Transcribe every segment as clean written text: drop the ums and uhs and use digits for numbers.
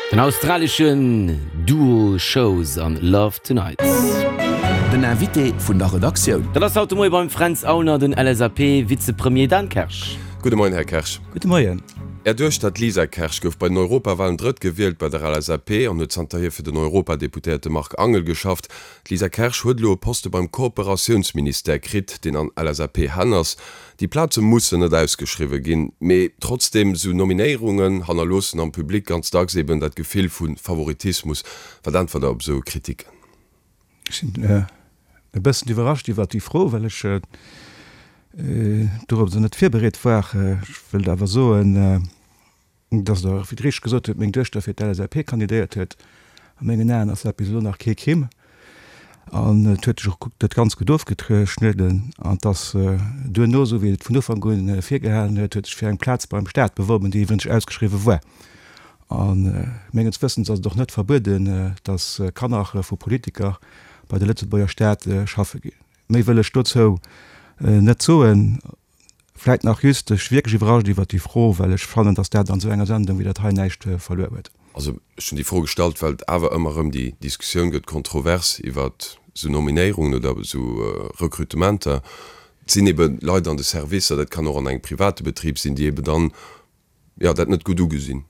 Den australeschen Duo Shows an Love Tonight. Den Invité vun der Redaktioun. Dat ass haut de Moie beim Fränz Aulner den LSAP-Vizepremier Dan Kersch. Gudde Moien, Här Kersch. Gudde Moien. Är Duechter, d'Lisa Kersch, gouf bei den Europawalen Drëttgewielt bei der LSAP an huet zanterhier fir den Europadeputéierte Marc Angel geschafft. D'Lisa Kersch huet elo e Poste beim Kooperatiounsministère kritt, deen an LSAP-Hänn ass. Déi Plaze mussen net ausgeschriwwe ginn, mee trotzdeem, esou Nominéierungen hannerloossen am Public ganz dacks eben dat Gefill vu Favoritismus. Wat äntwert Der op esou Kritiken? Ech sinn e bëssen iwwerrascht iwwert déi Fro, well ech dorop esou net virbereet war. Ech wëllt awer soen, Dass Der, wéi Der richteg gesot hutt, meng Duechter fir d'LSAP kandidéiert huet, a mengen Aen ass dat bis elo nach kee Crime. An et huet sech och dat ganz gutt ofgeschnidden. An dass duerno, esou wéi et vun Ufank u virgehalen huet, huet sech fir eng Plaz beim Staat beworben, déi iwwregens ausgeschriwwe war. A menges Wëssens ass et och net verbueden, dass Kanner vu Politiker bei de Lëtzebuerger Staat schaffe ginn. Méi wëll ech dozou net soen. Vläit nach just, ech wierklech iwwerrascht iwwert déi Fro, well ech fannen, dass dat an esou enger Sendung wéi dat hei näischt verluer huet. Also ech hunn déi Fro gestallt, well et awer ëmmer erëm déi Diskussioun gëtt, kontrovers iwwert esou Nominéierungen oder esou Recrutementer. Et sinn ebe Leit an de Servicer, dat kann och an engem private Betrib sinn, déi ebe dann jo, dat net gutt ugesinn.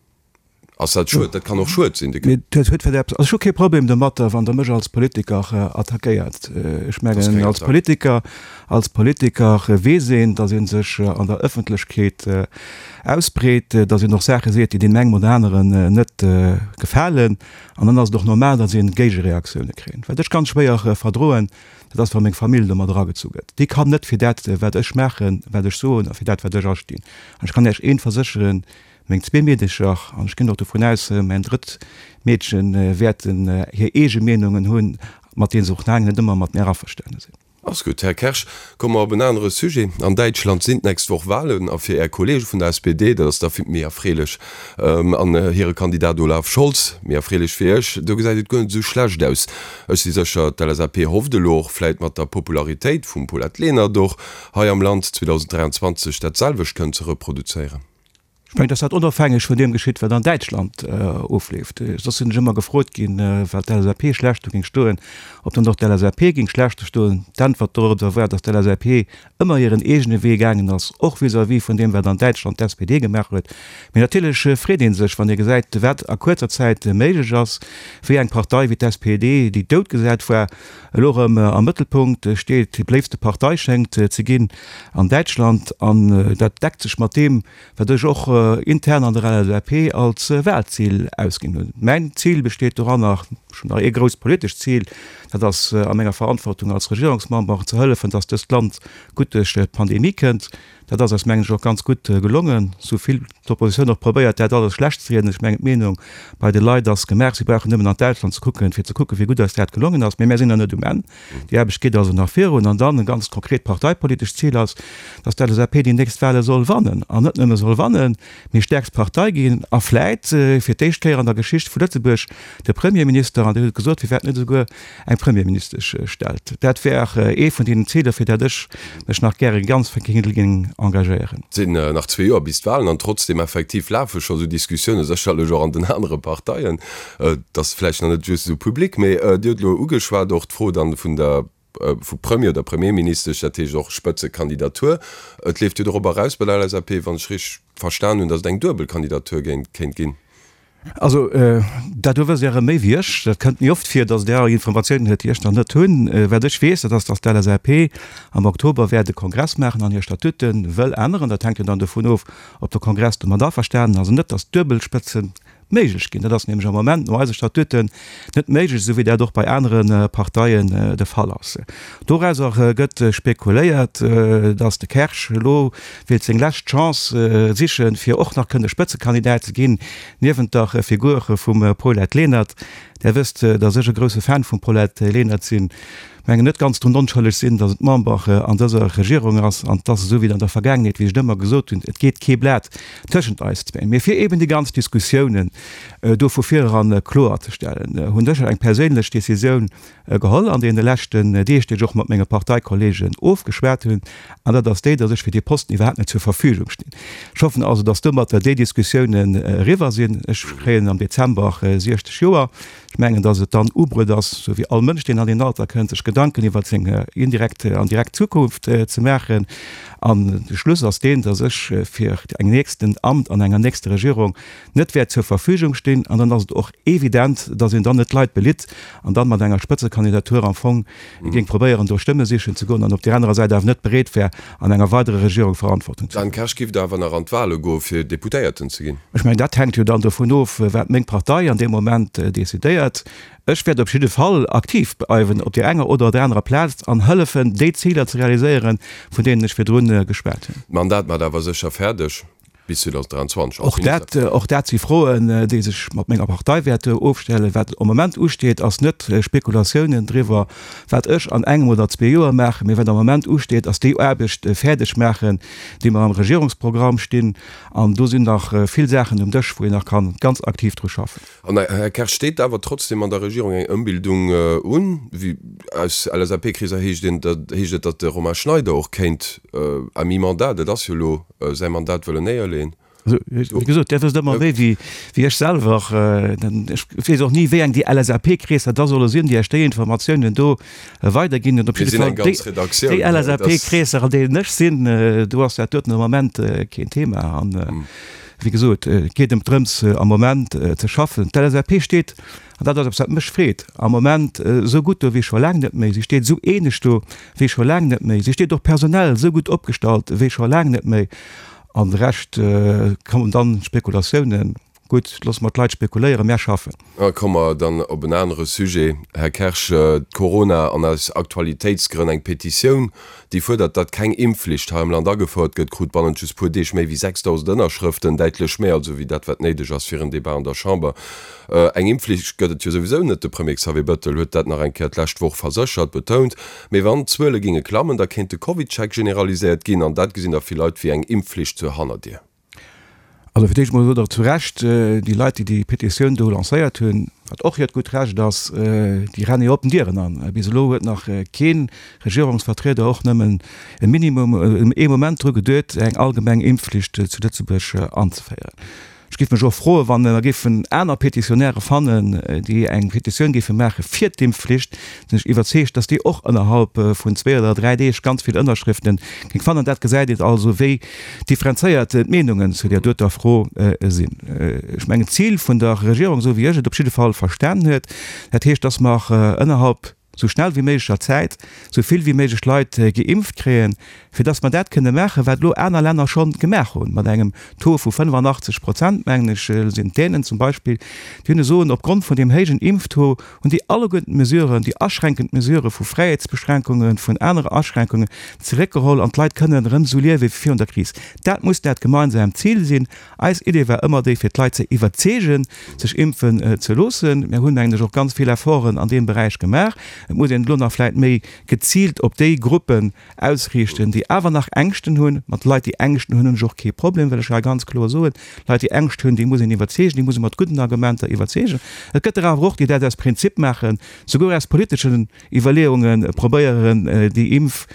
Ass dat schued? Dat kann och schued sinn. Mee dat huet vläicht eppes, also ech hu kee Problem domatter, wann Der mech als Politiker attackéiert. Ech mengen, als Politiker, als Politiker weess een, datt ee sech an der Ëffentlechkeet ausbreet, datt een och Saache seet, déi deem engem oder aneren net gefalen. An dann ass et och normal, datt ee Géigereaktioune kritt. Wat ech ganz schwéier verdroen, Dat ass, wa meng Famill domat eragezu gëtt. Déi kann net fir dat, wat ech maachen, wat ech soen a fir dat, wat ech astinn. An ech kann Iech eent versécheren, Meng zwee Meedecher, an ech ginn och dovun aus, mäin drëtt Meedchen, wäerten hir eege Meenungen hunn, mat deene se och laang net ëmmer mat mär averstane sinn. Ass gutt, Här Kersch. Komme mer op en anere Sujet. An Däitschland sinn d'nächst Woch Walen a fir Är Kollege vun der SPD, dat ass da méi erfreelech, an hire Kandidat Olaf Scholz, méi erfreelech fir Iech, do gesäit et guer net esou schlecht aus. Ech si sécher, d'LSAP hofft elo och vläit mat der Popularitéit vum Paulette Lenert och hei am Land 2023 dat selwecht kënnen ze reproduzéieren. Ech mengen, dass dat onofhängeg vun deem geschitt, wat an Däitschland ofleeft. Soss sinn ech ëmmer gefrot ginn, well d'LSAP schlecht do géing stoen, ob dann och d'LSAP géing schlecht do stoen. D'Äntwert dorobber war, dass d'LSAP ëmmer hiren eegene Wee gaangen ass, och vis-à-vis vun deem, wat an Däitschland d'SPD gemaach huet. Mee natierlech freet ee sech, wann ee gesäit, wat a kuerzer Zäit méiglech ass, wéi eng Partei wéi d'SPD, déi doutgesat war, elo erëm am Mëttelpunkt steet, déi beléiftste Partei schéngt ze ginn an Däitschland. An dat deckt sech mat deem, wat ech och intern an der LSAP als Wahlzil ausginn hunn. Mäin Zil besteet doranner, ech hunn nach ee grousst politescht Zil, dat ass a menger Verantwortung als Regierungsmember ze hëllefen, datt dëst Land gutt duerch d'Pandemie kënnt. Dat ass eis, mengen ech, och ganz gutt gelongen, esou vill d'Oppositioun och probéiert, dat alles schlecht ze rieden. Ech mengen, d'Meenung bei de Leit ass gemaach, si brauchen nëmmen an d'Ausland ze kucken, fir ze kucken, wéi gutt eis dat gelongen ass. Mee mär sinn nach net um Enn. Déi Aarbecht geet also nach virun. An dann e ganz konkret parteipolitescht Zil ass, datt d'LSAP déi nächst Wahle soll wannen. An net nëmme soll wannen, mee stäerkst Partei ginn a vläit fir d'éischt Kéier an der Geschicht vu Lëtzebuerg de Premierminister, an Dir hutt et gesot, firwat net esouguer eng Premierministesch stellt. Dat wär ee vun deenen Ziler, fir dat ech mech nach gäre ganz géing engagéieren. Et sinn nach zwee Joer bis d'Wahlen an trotzdeem effektiv lafe scho sou Diskussiounen, sécherlech och an den anere Parteien. Et ass vläicht nach net just esou public, mee Dir hutt elo ugeschwat och d'Fro dann vun der, vu Premier oder Premierministesch, dat heescht och Spëtzekandidatur. Et leeft jo dorobber eraus bei der LSAP, wann ech richteg verstan hunn, datt et eng duebel Kandidatur géint, kéint ginn. Also, dat do wësst Dir erëm méi wéi ech. Dat kënnt méi oft vir, datt Der Informatiounen huet, déi ech nach net hunn. Wat ech weess, dat ass, datt d'LSAP am Oktober wäert e Kongress maachen an hir Statute wëll änneren. Dat hänkt jo dann dovun of, ob de Kongress domat averstanen ass oder net, datt d'duebel Spëtze méiglech ginn. Dat ass nämlech am Moment no eise Statuten net méiglech, esou wéi dat och bei anere Parteien de Fall ass. Dorauser gëtt spekuléiert, datt de Kersch elo wéilt seng lescht Chance sichen, fir och nach kënne Spëtzekandidat ze ginn, niewent der Figur vum Paulette Lenert. Där wësst, datt ech e grousse Fan vum Paulette Lenert sinn. Mengen net ganz drun onschëlleg sinn, datt et Member an dëser Regierung ass an et ass esou wéi an der Vergaangenheet, wéi ech et ëmmer gesot hunn, et geet kee Blat tëschent eis zwéin. Mee fir eben déi ganz Diskussiounen. do vu vireran kloerzestellen, hunn ech eng perséinlech Decisioun geholl an deene leschten Deeg, déi ech och mat menge Parteikollegen ofgeschwat hunn, an dat ass déi, datt ech fir dee Posten iwwerhaapt net zur Verfügung stinn. Ech hoffen also, datt domatter déi Diskussiounen eriwwer sinn. Ech kréien am Dezember 60 Joer. Ech mengen, datt et dann ubruet ass, esou wéi all Mënsch, deen an deen Alter kënnt, sech Gedanken iwwer seng indirekt an direkt Zukunft ze maachen. An de Schluss ass deen, datt ech fir eng nächsten Amt an enger nächster Regierung net wäert zur Verfügung stinn. An dann ass et och evident, datt een dann net d'Leit belitt an dann mat enger Spëtzekandidatur am Fong géing probéieren, do Stëmme sichen ze goen an op där anerer Säit awer net bereet wär, an enger weiderer Regierung Verantwortung ze Dan Kersch, Giff Der awer nach an d'Wahle goe fir Deputéierten ze ginn? Ech mengen, dat hänkt jo dann dovun of, wat meng Partei an deem Moment decidéiert. Ech wäert op jidde Fall aktiv bleiwen op där enger oder der anerer Plaz an hëllefen, déi Ziler ze realiséieren, vun deenen ech virdrun geschwat hunn. D'Mandat maacht awer sécher fäerdeg. Bis 2023 als Och dat, Minister. och dat si Froen, déi sech mat menger Partei wäerte ofstellen. Wat am Moment usteet, ass net Spekulatiounen driwwer, wat ech an engem oder zwee Joer maachen, mee wat am Moment usteet, ass déi Aarbecht fäerdeg maachen, déi mer am Regierungsprogramm stinn. An do sinn nach vill Saachen um Dësch, wou een nach kann ganz aktiv dru schaffen. An, Här Kersch, steet awer trotzdem an der Regierung eng Ëmbildung un? Wéi aus LSAP-Kreeser heescht een, heescht et, datt de Romain Schneider och kéint à mi-mandat, dat ass jo elo säi Mandat, wëllen néierleeën. Also, wéi gesot, Dir wësst ëmmer méi wéi ech selwer. Ech weess och ni, wéi eng déi LSAP-Kreesser da solle sinn, déi Iech déi Informatiounen do weiderginn. Op jidde Fall déi LSAP-Kreesser, an deenen ech sinn, do ass dat doten am Moment keen Thema. An, wéi gesot, et geet ëm drëms, am Moment ze schaffen. D'LSAP steet, an dat ass eppes, wat mech freet, am Moment esou gutt do wéi scho laang net méi. Si steet esou eeneg do wéi scho laang net méi. Si steet och personell esou gutt opgestallt wéi scho laang net méi. An de Rescht kommen dann Spekulatiounen. Gutt, loosse mer d'Leit spekuléieren, mär schaffen. A komme mer dann op en anere Sujet, Här Kersch, d'Corona an aus Aktualitéitsgrënn eng Petitioun, déi fuerdert, datt keng Impfflicht hei am Land agefouert gëtt, krut bannent just puer Deeg méi wéi 6.000 Ënnerschrëften, däitlech méi also wéi dat, wat néideg ass fir en Debat an der Chamber. Eng Impfflicht gëtt et jo souwisou net, de Premier Xavier Bettel huet dat nach eng Kéier d'lescht Woch verséchert, betount. Mee wann d'Zuele géinge klammen, da kéint de CovidCheck generaliséiert ginn an dat gesinn da vill Leit wéi eng Impfflicht zur Hannerdier. Also fir d'éischt emol sot Der zu Recht, déi Leit, déi déi Petitioun do lancéiert hunn, wat och hiert gutt Recht ass, déi renne jo oppen Dieren an. Bis elo huet nach kee Regierungsvertrieder och nëmmen e Minimum, ee Moment dru geduet, eng allgemeng Impfflicht zu Lëtzebuerg anzeféieren. Ech géif mech och froen, wa mer géifen aner Petitionäre fannen, déi eng Petitioun géife maache fir d'Impfflicht, sinn ech iwwerzeegt, dass déi och ënnerhalb vun zwee oder dräi Deeg ganz vill Ënnerschrifte géing fannen. Dat gesäit een also, wéi differenzéiert d'Meenungen zu där doter Fro sinn. Ech mengen, d'Zil vun der Regierung, esou wéi ech et op jidde Fall verstanen huet, dat heescht, dass mer ënnerhalb sou schnell wéi méiglecher Zäit sou vill wéi méiglech Leit geimpft kréien, fir dass mer dat kënne maachen, wat elo aner Länner scho gemaach hunn, mat engem Taux vu 85 Prozent, mengen ech, sinn d'Dänen zum Beispill, déi hunn soen, opgrond vun deem héijen Impftaux hunn déi alleguerten d'Mesuren, déi aschränkend Mesurë vu Fräiheetsbeschränkungen, vun anere Aschränkungen zeréckgeholl an d'Leit kënnen erëm esou liewe wéi virun der Kris. Dat muss dat gemeinsaamt Zil sinn. Eis Idee war ëmmer déi, fir d'Leit ze iwwerzeegen, sech impfen ze loossen. Mir hunn, mengen ech, och ganz vill Efforten an deem Beräich gemaach. Et muss een elo nach vläicht méi geziilt op déi Gruppen ausriichten, déi awer nach Ängschten hunn. Mat Leit, déi Ängschten hunn, hunn ech och kee Problem, wëll ech hei ganz kloer soen. Leit, déi Ängscht hunn, déi muss een iwwerzeegen, déi muss ee mat gudden Argumenter iwwerzeegen. Et gëtt der awer och, déi dat aus Prinzip maachen, souguer aus politeschen Iwwerleeunge probéieren, déi Impf,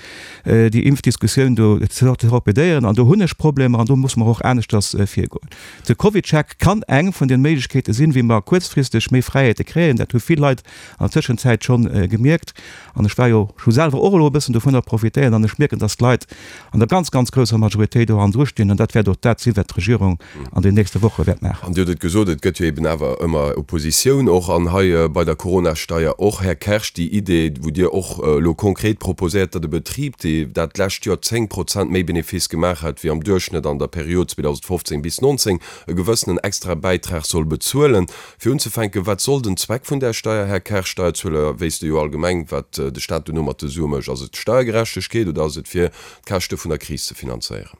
déi Impfdiskussioun do ze torpedéieren. An do hunn ech Problemer an do musse mer och aneschters virgoen. De CovidCheck kann eng vun den Méiglechkeete sinn, wéi mer kuerzfristeg méi Fräiheete kréien. Dat hu vill Leit an der Tëschenzäit schonn gemierkt. An ech war jo, ech hu selwer och elo e bëssen dovunner profitéiert an ech mierken, dass d'Leit an der ganz, ganz grousser Majoritéit do hannendru stinn. An dat wäert och dat sinn, wat d'Regierung an den nächste Woche wäert maachen. An Dir hutt et gesot, et gëtt jo eben awer ëmmer Oppositioun och an hei bei der Coronasteier och, Här Kersch, déi Idee, wou Dir och elo konkret proposéiert, datt e Betrib, dee dat d'lescht Joer 10 Prozent méi Benefice gemaach hat wéi am Duerchschnëtt an der Period 2015 bis 19, e gewëssenen extra Bäitrag soll bezuelen. Fir unzefänken, wat soll den Zweck vun där Steier, Här Kersch? Steierzueler wéisste jo allgemeng, wat de Staat duerno mat de Sue mécht. Ass et Steiergerechtegkeet oder ass et fir d'Käschte vun der Kris ze finanzéieren?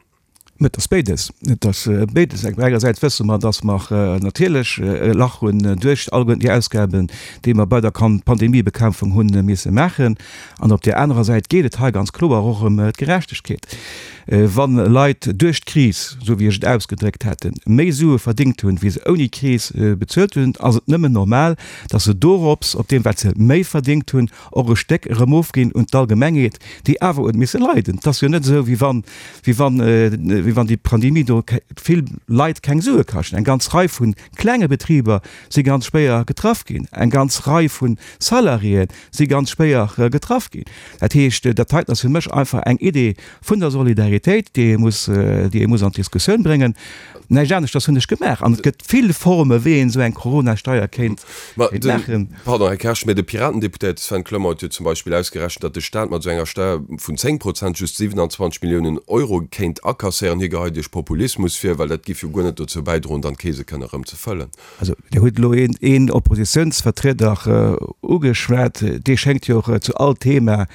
Et ass béides. Et ass béides. Engersäits wësse mer, dass mer natierlech e Lach hunn duerch alleguerten déi Ausgaben, déi mer bei der Pandemiebekämpfung hu misse maachen. An op där anerer Säit geet et hei ganz kloer och ëm d'Gerechtegkeet. Wa Leit duerch d'Kris, esou wéi ech et ausgedréckt haten, méi Sue verdéngt hunn, wéi se ouni Kris bezuelt hunn, ass et nëmmen normal, dass se dorops, op deem wat se méi verdéngt hunn, och e Stéck erëm ofginn un d'Allgemengheet, déi awer huet misse leiden. Et ass jo net esou, wéi wann, wéi wann, wéi wann déi Pandemie do vill Leit keng Sue kascht. Eng ganz Rei vu klenge Betriber si ganz schwéier getraff ginn. Eng ganz Rei vu Salariéë si ganz schwéier getraff ginn. Dat heescht, dat heiten ass fir mech einfach eng Idee vun der Solidaritéit, déi ee muss, déi ee muss an d'Diskussioun bréngen. Näischt aneschters hunn ech gemaach. An et gëtt vill Forme wéi een esou eng Corona-Steier kéint maachen. Pardon, Här Kersch, mä de Piratendeputéierte Sven Clement huet jo zum Beispill ausgerechent, datt de Staat mat esou enger Steier vun 10 Prozent just 27 Milliounen Euro kéint akasséieren. Hie geheit Iech Populismus vir, well dat giff jo guer net dozou bäidroen, dann d'Keese kënne erëm ze fëllen. Also, Dir hutt elo een Oppositionsvertrieder ugeschwat, dee schéngt jo och zu all Thema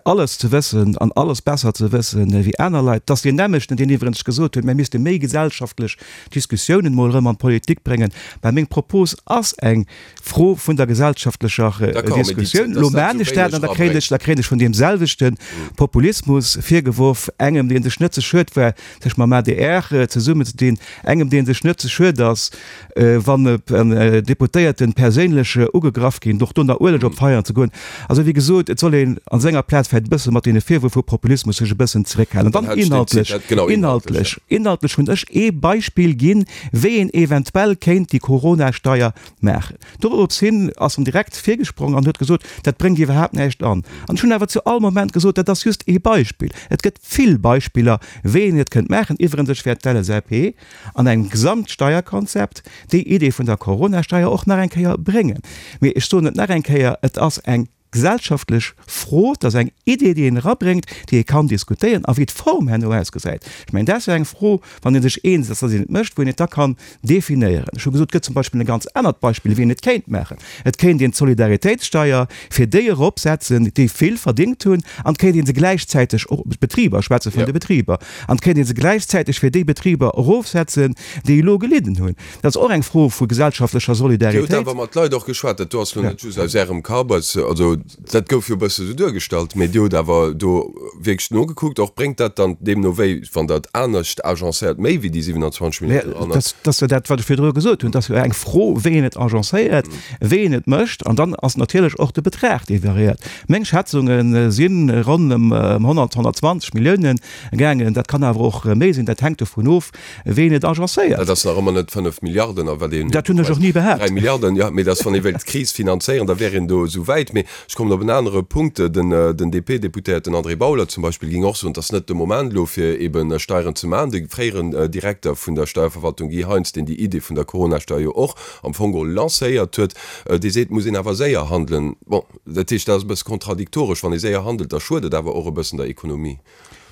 alles ze wëssen an alles besser ze wëssen wéi aner Leit. Et ass deen nämmlechten, deen iwwerens gesot huet, mir misste méi gesellschaftlech Diskussiounen emol erëm an d'Politik bréngen. Mä meng Propos ass eng Fro vun der gesellschaftlecher Diskussioun. Elo maan ech dat an da kréien ech, da kréien ech vun deem selwechte Populismus virgeworf, engem, dee sech net ze schued war, sech mam adr zesummenzedinn, engem, dee sech net ze schued ass, wann Deputéierten perséinlech ugegraff ginn, och do nach Ueleg op d'Feieren ze goen. Also wéi gesot, et soll een an senger Plaz vläicht e bësse mat deene Virwërf vu Populismus sech e bëssen zeréckhalen. An dann inhaltlech, inhaltlech, inhaltlech hunn ech ee Beispill ginn, wéi een eventuell kéint déi Corona-Steier maachen. Dorops hin ass en direkt virgesprong an huet gesot, dat bréngt iwwerhaapt näischt an. An ech hunn awer zu all Moment gesot, dat ass just ee Beispill. Et gëtt vill Beispiller, wéi een et kënnt maachen. Iwwerens, ech wäert d'LSAP an engem Gesamtsteierkonzept déi Idee vun der Coronasteier och nach eng Kéier bréngen. Mee ech soen et nach eng Kéier, et ass eng gesellschaftlech Fro, et ass eng Idee, déi een erabréngt, déi ee kann diskutéieren. A wéi d'Form herno ausgesäit, ech mengen, dat ass jo eng Fro, wann ee sech eens ass, datt een et mécht, wou een et da kann definéieren. Ech hu gesot, et gëtt zum Beispill e ganz anert Beispill, wéi een et kéint maachen. Et kéint een d'Solidaritéitssteier fir déi eropsetzen, déi vill verdéngt hunn, an et kéint ee se gläichzäiteg och, d'Betriber, ech schwätze vun de Betriber, an et kéint ee se gläichzäiteg fir déi Betriber erofsetzen, déi elo gelidden hunn. Dat ass och eng Fro vu gesellschaftlecher Dir hutt Solidaritéit. awer mat Leit och geschwat, dat do ass elo net just aus Ärem Kapp, also dat gouf jo e bësse sou duergestallt, mee Dir hutt awer do wierklech nogekuckt och. Bréngt dat dann deemno wéi, wann Der et anescht agencéiert, méi wéi déi 27 Milliounen eran? Dat ass jo dat, wat ech virdru gesot hunn. Et ass jo eng Fro, wéi een et agencéiert, wéi een et mécht. An dann ass natierlech och de Betrag, dee variéiert. Meng Schätzunge si ronn ëm 100, 120 Milliounen gaangen. Dat kann awer och méi sinn. Dat hänkt dovun of, wéi een et agencéiert. Dat ass nach ëmmer net 5 Milliarden, a wat een. Dat hunn ech och ni behaapt. 3 Milliarden, jo, mee dass, wann ee wéilt d'Kris finanzéieren, da wär een do esou wäit. Mee ech kommen op en anere Punkt, Den DP-Deputéierten André Bauler zum Beispill géing och soen, et ass net de Moment elo, fir eebe Steieren ze maachen. De fréieren Direkter vun der Steierverwaltung Guy Heintz, deen déi Idee vun der Coronasteier jo och am Fong geholl lancéiert huet, dee seet, et muss een awer séier handelen. Bon, dat heescht, dat ass e bësse kontradiktoresch. Wann ee séier handelt, da schued et awer och e bëssen der Ekonomie.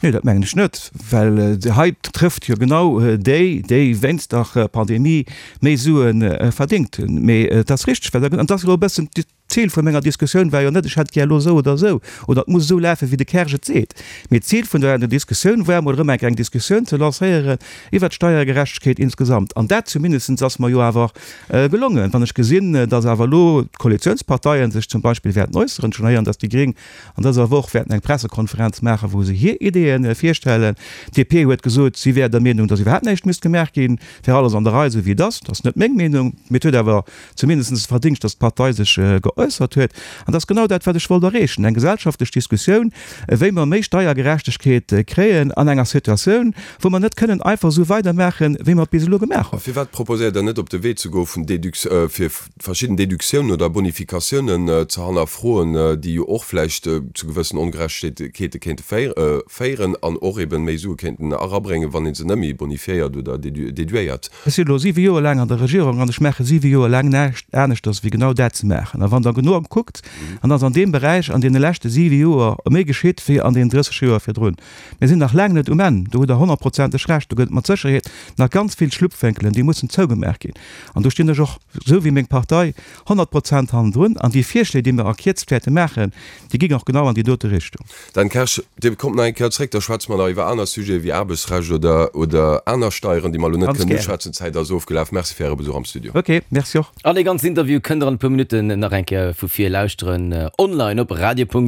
Nee, dat mengen ech net, well hei trëfft jo genau déi, déi wéinst der Pandemie méi Sue verdéngt hunn. Mee et ass richteg, wat Der gesot hutt, an et ass elo e bëssen, d'Zil vu menger Diskussioun war jo net, ech hätt gär elo esou oder esou oder et muss esou lafen, wéi de Kersch et seet. Mee d'Zil vun der Diskussioun war emol erëm eng Kéier eng Diskussioun ze lancéieren iwwert d'Steiergerechtegkeet insgesamt. An dat zumindest ass mer jo awer gelongen. Wann ech gesinn, datt awer elo d'Koalitionsparteien sech zum Beispill wäerten äusseren, ech hunn héieren, datt déi Gréng An dëser Woch wäerten eng Pressekonferenz maachen, wou se hir Ideeë virstellen. D'DP huet gesot, si wär der Meenung, datt iwwerhaapt näischt misst gemaach ginn, et wär alles an der Rei, esou wéi et ass. Dat ass net meng Meenung, mee et huet awer zumindest de Verdingscht, datt d'Partei sech geäussert huet. An dat ass genau dat, wat ech wollt erreechen, eng gesellschaftlech Diskussioun, wéi mer méi Steiergerechtegkeet kréien an enger Situatioun, wou mer net kënnen einfach esou weidermaachen, wéi mer et bis elo gemaach hunn. Firwat proposéiert Der net, op de Wee ze goe vun Deduc-, fir verschidden Deductiounen oder Bonifikatiounen ze hannerfroen, déi jo och vläicht zu gewëssen Ongerechtegkeete kéinte féieren an och eben méi Sue kéinten erabréngen, wann ee se net méi bonifiéiert oder deduéiert. Ech sinn elo siwe Joer laang an der Regierung an ech maache siwe Joer laang näischt aneschters wéi genau dat ze maachen. A wann Der. Der genau kuckt, dann ass an deem Beräich an deene leschte siwe Joer méi geschitt wéi an deenen 30 Joer virdrun. Mir sinn nach laang net um Enn, do hutt Der honnertprozenteg Recht. Do gëtt et mat Sécherheet nach ganz vill Schlupfwénkelen, déi mussen zougemaach ginn. An do stinn ech och, esou wéi meng Partei, 100% hannendrun. An déi Virschléi, déi mir a Kierzt wäerte maachen, déi ginn och genau an déi dote Richtung. Dan Kersch, Dir kommt nach eng Kéier zréck, da schwätze mer nach iwwer aner Sujete wéi Aarbechtsrecht oder, oder aner Steieren, déi mer elo net Ganz kënnen gären. uschwätzen. D'Zäit ass ofgelaf. Merci fir Äre Besuch am Studio. Ok, merci och. An dee ganzen Interview kënnt der an e puer Minutten nach eng Kéier vu vir lauschteren online op radio.rtl.lu.